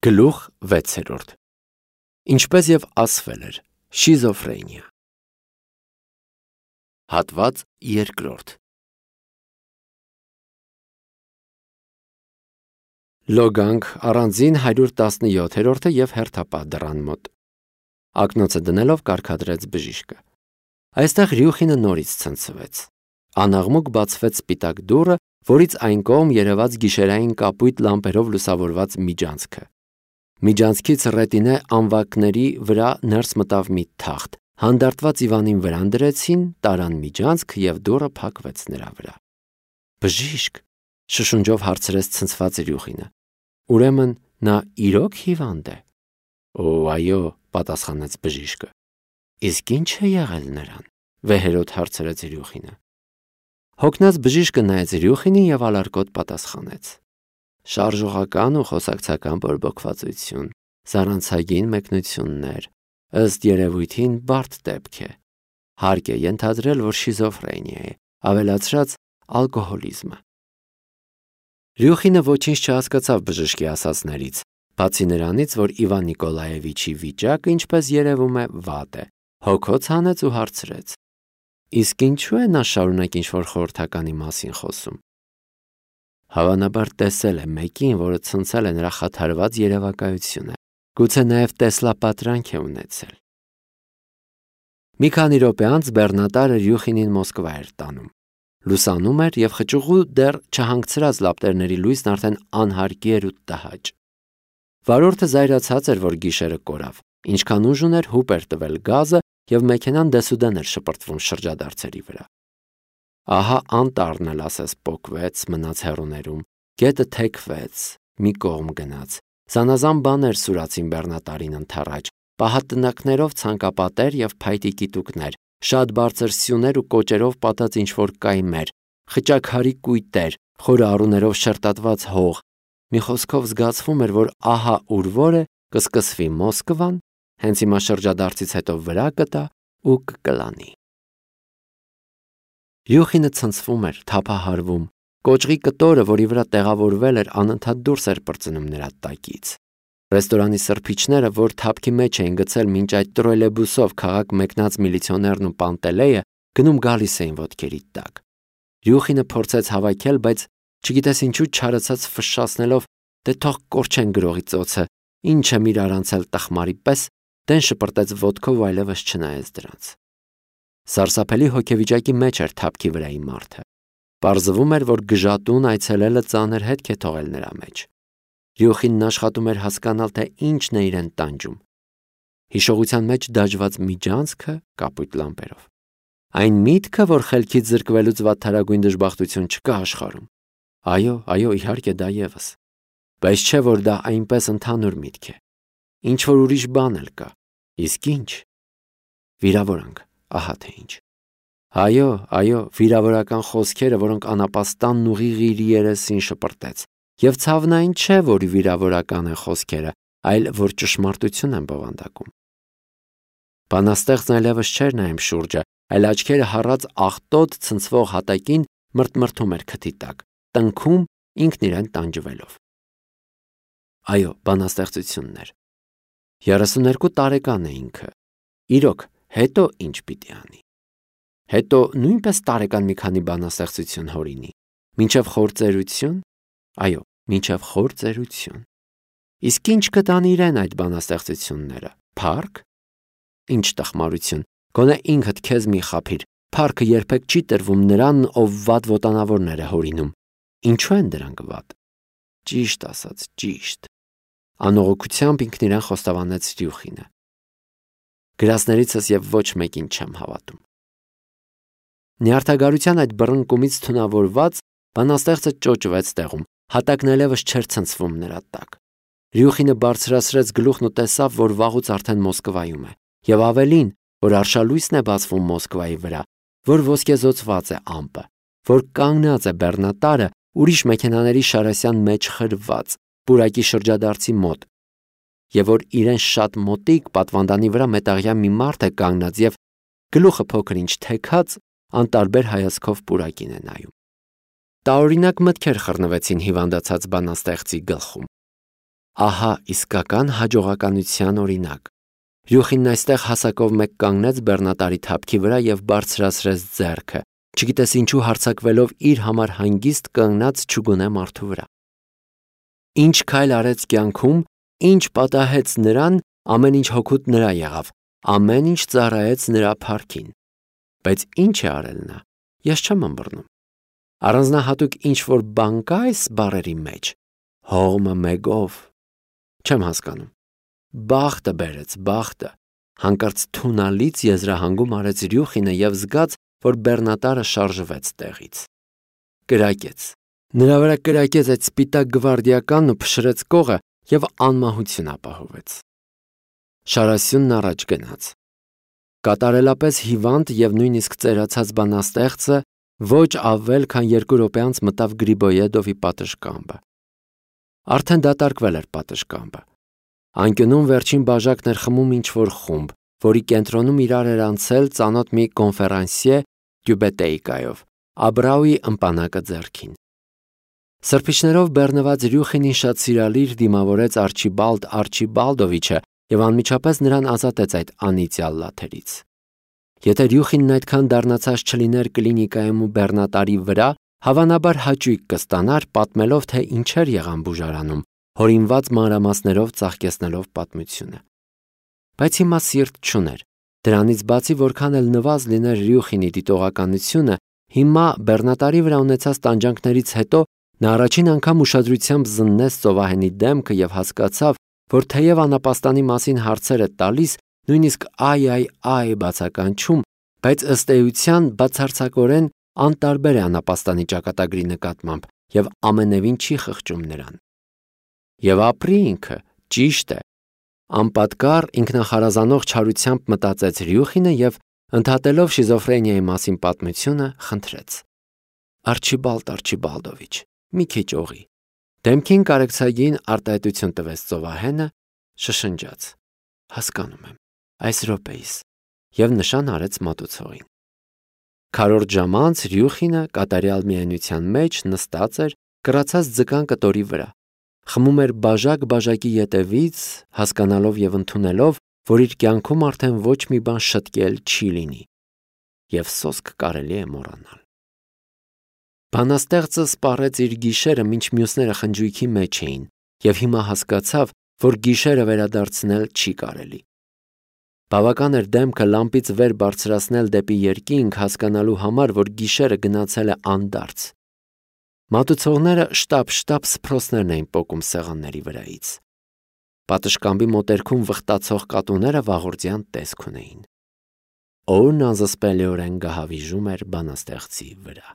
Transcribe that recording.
Գլուխ 6. Ինչպես և ասվել էր, շիզոֆրենիա։ Հատված 2. Լոգանք առանձին 117 և հերթապահ դռան մոտ։ Ակնոցը դնելով կարգադրեց բժիշկը։ Այստեղ Ռյուխինը նորից ցնցվեց։ Անաղմուկ բացվեց սպիտակ դուռը, որից այն կողմ երևաց գիշերային կապույտ լամպերով լուսավորված միջանցքը։ Միջանցքից ռետինե անվակների վրա ներս մտավ մի թախտ, հանդարտված Իվանին վրան դրեցին, տարան միջանցք և դուռը փակվեց նրա վրա։ Բժիշկ, շշունջով հարցրեց ցնցված Ռյուխինը։ Ուրեմն նա իրոք հիվանդ է։ Օ, այո, պատասխանեց բժիշկը։ Իսկ ի՞նչ է եղել նրան, վեհերոտ հարցրեց Ռյուխինը։ Հոգնած բժիշկը նայեց Ռյուխինին և ալարկոտ պատասխանեց. Շարժողական ու խոսակցական բորբոքվածություն, զառանցագին մեկնություններ, ըստ երևույթին բարդ դեպք է։ Հարկ է ենթադրել, որ շիզոֆրենիա է, ավելացրած ալկոհոլիզմը։ Ռյուխինը ոչինչ չհասկացավ բժշկի ասածներից, բացի նրանից, որ Իվան Նիկոլաևիչի վիճակը, ինչպես երևում է, վատ է, հոգոց հանեց ու հարցրեց. Իսկ ինչու է նա շարունակ ինչ-որ խորհրդականի մասին խոսում։ Հավանաբար տեսել է մեկին, որը ցնցել է նրա խաթարված երևակայությունը, գուցե նաև տեսլապատրանք է ունեցել։ Մի քանի րոպե անց բեռնատարը Ռյուխինին Մոսկվա էր տանում։ Լուսանում էր և խճուղու դեռ չհանգցրած լապտերների լույսն արդեն անհարկի էր ու տհաճ։ Վարորդը զայրացած էր, որ գիշերը կորավ, ինչքան ուժ ուներ հուպ էր տվել գազը և մեքենան դեսուդեն էր շպրտվում շրջադարձերի վրա։ Ահա անտառն էլ ասես պոկվեց, մնաց հեռուներում, գետը թեքվեց, մի կողմ գնաց, զանազան բաներ սուրացին բեռնատարին ընդառաջ, պահատնակներով ցանկապատեր և փայտիկի տուկներ, շատ բարձր սյուներ ու կոճերով պատած ինչ-որ կայմեր, խճաքարի կույտեր, խորը առուներով շերտատված հող։ Մի խոսքով զգացվում էր, որ ահա ուր որ է, կսկսվի Մոսկվան, հենց հիմա շրջադարձից հետո վրա կտա ու կկլանի։ Ռյուխինը ցնցվում էր, թափահարվում։ Կոճղի կտորը, որի վրա տեղավորվել էր, անընդհատ դուրս էր պրծնում նրա տակից։ Ռեստորանի սրբիչները, որ թափքի մեջ էին գցել մինչ այդ տրոլեյբուսով քաղաք մեկնած միլիցիոներն ու Պանտելեյը, գնում գալիս էին ոտքերի տակ։ Ռյուխինը փորձեց հավաքել, բայց չգիտես ինչու չարացած ֆշշացնելով, դե թող կորչեն գրողի ծոցը, ինչ եմ իրար անցել տխմարի պես, դեն շպրտեց ոտքով ու այլևս չնայեց դրանց։ Սարսափելի հոգեվիճակի մեջ էր թափքի վրայի մարդը։ Պարզվում էր, որ գժատուն այցելելը ծանր հետք է թողել նրա մեջ։ Ռյուխինն աշխատում էր հասկանալ, թե ինչն է իրեն տանջում։ Հիշողության մեջ դաջված միջանցքը կապույտ լամպերով։ Այն միտքը, որ խելքից զրկվելուց վատթարագույն դժբախտություն չկա աշխարհում։ Այո, իհարկե դա ևս։ Բայց չէ, որ դա այնպես ընդհանուր միտք է։ Ինչ որ ուրիշ բան էլ կա։ Իսկ ինչ։ Վիրավորանք, ահա թե ինչ։ Այո, վիրավորական խոսքերը, որոնք անապաստանն ուղիղ իր երեսին շպրտեց։ Եվ ցավն այն չէ, որ վիրավորական են խոսքերը, այլ որ ճշմարտություն են բովանդակում։ Բանաստեղծն այլևս չէր նայում շուրջը, այլ աչքերը հառած աղտոտ ցնցվող հատակին մրթմրթում էր քթի տակ, տնքում ինքն իրեն տանջվելով։ Այո, բանաստեղծություններ։ 32 տարեկան է ինքը։ Իրոք, հետո ինչ պիտի անի։ Հետո նույնպես տարեկան մի քանի բանաստեղծություն հորինի։ Մինչև խործերություն։ Այո, մինչև խործերություն։ Իսկ ինչ կտանի իրեն այդ բանաստեղծությունները։ Փառք։ Ինչ տխմարություն։ Գոնե ինքդ քեզ մի խաբիր։ Փառքը երբեք չի տրվում նրան, ով վատ ոտանավորներ է հորինում։ Ինչու են դրանք վատ։ Ճիշտ ասած, ճիշտ։ Անողոքությամբ ինքն իրեն խոստովանեց Ռյուխինը։ Գրածներիցս և ոչ մեկին չեմ հավատում։ Նյարդագարության այդ բռնկումից թունավորված բանաստեղծը ճոճվեց տեղում, հատակն այլևս չէր ցնցվում նրա տակ։ Ռյուխինը բարձրացրեց գլուխն ու տեսավ, որ վաղուց արդեն Մոսկվայում է, և ավելին, որ արշալույսն է բացվում Մոսկվայի վրա, որ ոսկեզօծված է ամպը, որ կանգնած է բեռնատարը ուրիշ մեքենաների շարասյան մեջ խրված, պուրակի շրջադարձի մոտ, և որ իրեն շատ մոտիկ պատվանդանի վրա մետաղյա մի մարդ է կանգնած և գլուխը փոքր-ինչ թեքած, անտարբեր հայացքով պուրակին է նայում։ Տարօրինակ մտքեր խռնվեցին հիվանդացած բանաստեղծի գլխում։ Ահա իսկական հաջողականության օրինակ։ Ռյուխինն այստեղ հասակով մեկ կանգնեց բեռնատարի թափքի վրա եւ բարձրացրեց ձեռքը, չգիտես ինչու հարձակվելով իր համար հանգիստ կանգնած չուգունե մարդու վրա։ Ինչ քայլ արեց կյանքում, ինչ պատահեց նրան, ամեն ինչ հօգուտ նրա եղավ, ամեն ինչ ծառայեց նրա փառքին։ Բայց ինչ է արել նա։ Ես չեմ ըմբռնում։ Առանձնահատուկ ինչ-որ բան կա այս բառերի մեջ։ Հողմը մեկով։ Չեմ հասկանում։ Բախտը բերեց, բախտը։ Հանկարծ թունալից եզրահանգում արեց Ռյուխինը եւ զգաց, որ բեռնատարը շարժվեց տեղից։ Կրակեց։ Նրա վրա կրակեց այդ սպիտակ գվարդիականն ու փշրեց կողը եւ անմահություն ապահովեց։ Շարասյունն առաջ գնաց։ Կատարելապես հիվանդ եւ նույնիսկ ծերացած բանաստեղծը ոչ ավել քան 2 րոպե անց մտավ Գրիբոյեդովի պատշգամբը։ Արդեն դատարկվել էր պատշգամբը։ Անկյունում վերջին բաժակն էր խմում ինչ-որ խումբ, որի կենտրոնում իրար էր անցել ծանոթ մի կոնֆերանսիե Տյուբետեիկայով, Աբրաուի ըմպանակը ձեռքին։ Սրբիչներով բեռնված Ռյուխինին շատ սիրալիր դիմավորեց Արչիբալդ Արչիբալդովիչը եւ անմիջապես նրան ազատեց այդ անիծյալ լաթերից։ Եթե Ռյուխինն այդքան դառնացած չլիներ կլինիկայում ու բեռնատարի վրա, հավանաբար հաճույք կստանար պատմելով, թե ինչեր եղան բուժարանում, հորինված մանրամասներով ծաղկեցնելով պատմությունը։ Բայց հիմա սիրտ չուներ։ Դրանից բացի որքան էլ նվազ լիներ Ռյուխինի դիտողականությունը, հիմա բեռնատարի վրա ունեցած տանջանքներից հետո նա առաջին անգամ ուշադրությամբ զննեց ծովահենի դեմքը եւ հասկացավ, որ թեև անապաստանի մասին հարցեր է տալիս, նույնիսկ այ բացականչում, բայց ըստ էության բացարձակորեն անտարբեր է անապաստանի ճակատագրի նկատմամբ եւ ամենևին չի խղճում նրան։ Եվ ապրի ինքը, ճիշտ է։ Անպատկառ ինքնախարազանող չարությամբ մտածեց Ռյուխինը եւ ընդհատելով շիզոֆրենիայի մասին պատմությունը խնդրեց. Արչիբալդ Արչիբալդովիչ, մի քիչ օղի։ Դեմքին կարեկցագին արտահայտություն տվեց ծովահենը, շշնջաց. Հասկանում եմ, այս րոպեիս, եւ նշան արեց մատուցողին։ Քառորդ ժամ անց Ռյուխինը կատարյալ միայնության մեջ նստած էր կռացած ձկան կտորի վրա, խմում էր բաժակ բաժակի ետևից, հասկանալով եւ ընդունելով, որ իր կյանքում արդեն ոչ մի բան շտկել չի լինի, եւ սոսկ կարելի է մոռանալ։ Բանաստեղծը սպառեց իր գիշերը, մինչ մյուսները խնջույքի մեջ էին, եւ հիմա հասկացավ, որ գիշերը վերադարձնել չի կարելի։ Բավական էր դեմքը լամպից վեր բարձրացնել դեպի երկինք հասկանալու համար, որ գիշերը գնացել է անդարձ։ Մատուցողները շտապ սփռոցներն էին պոկում սեղանների վրայից։ Պատշգամբի մոտերքում վխտացող կատուները վաղորդյան տեսք ունեին։ Օրն անզսպելիորեն գահավիժում էր բանաստեղծի վրա։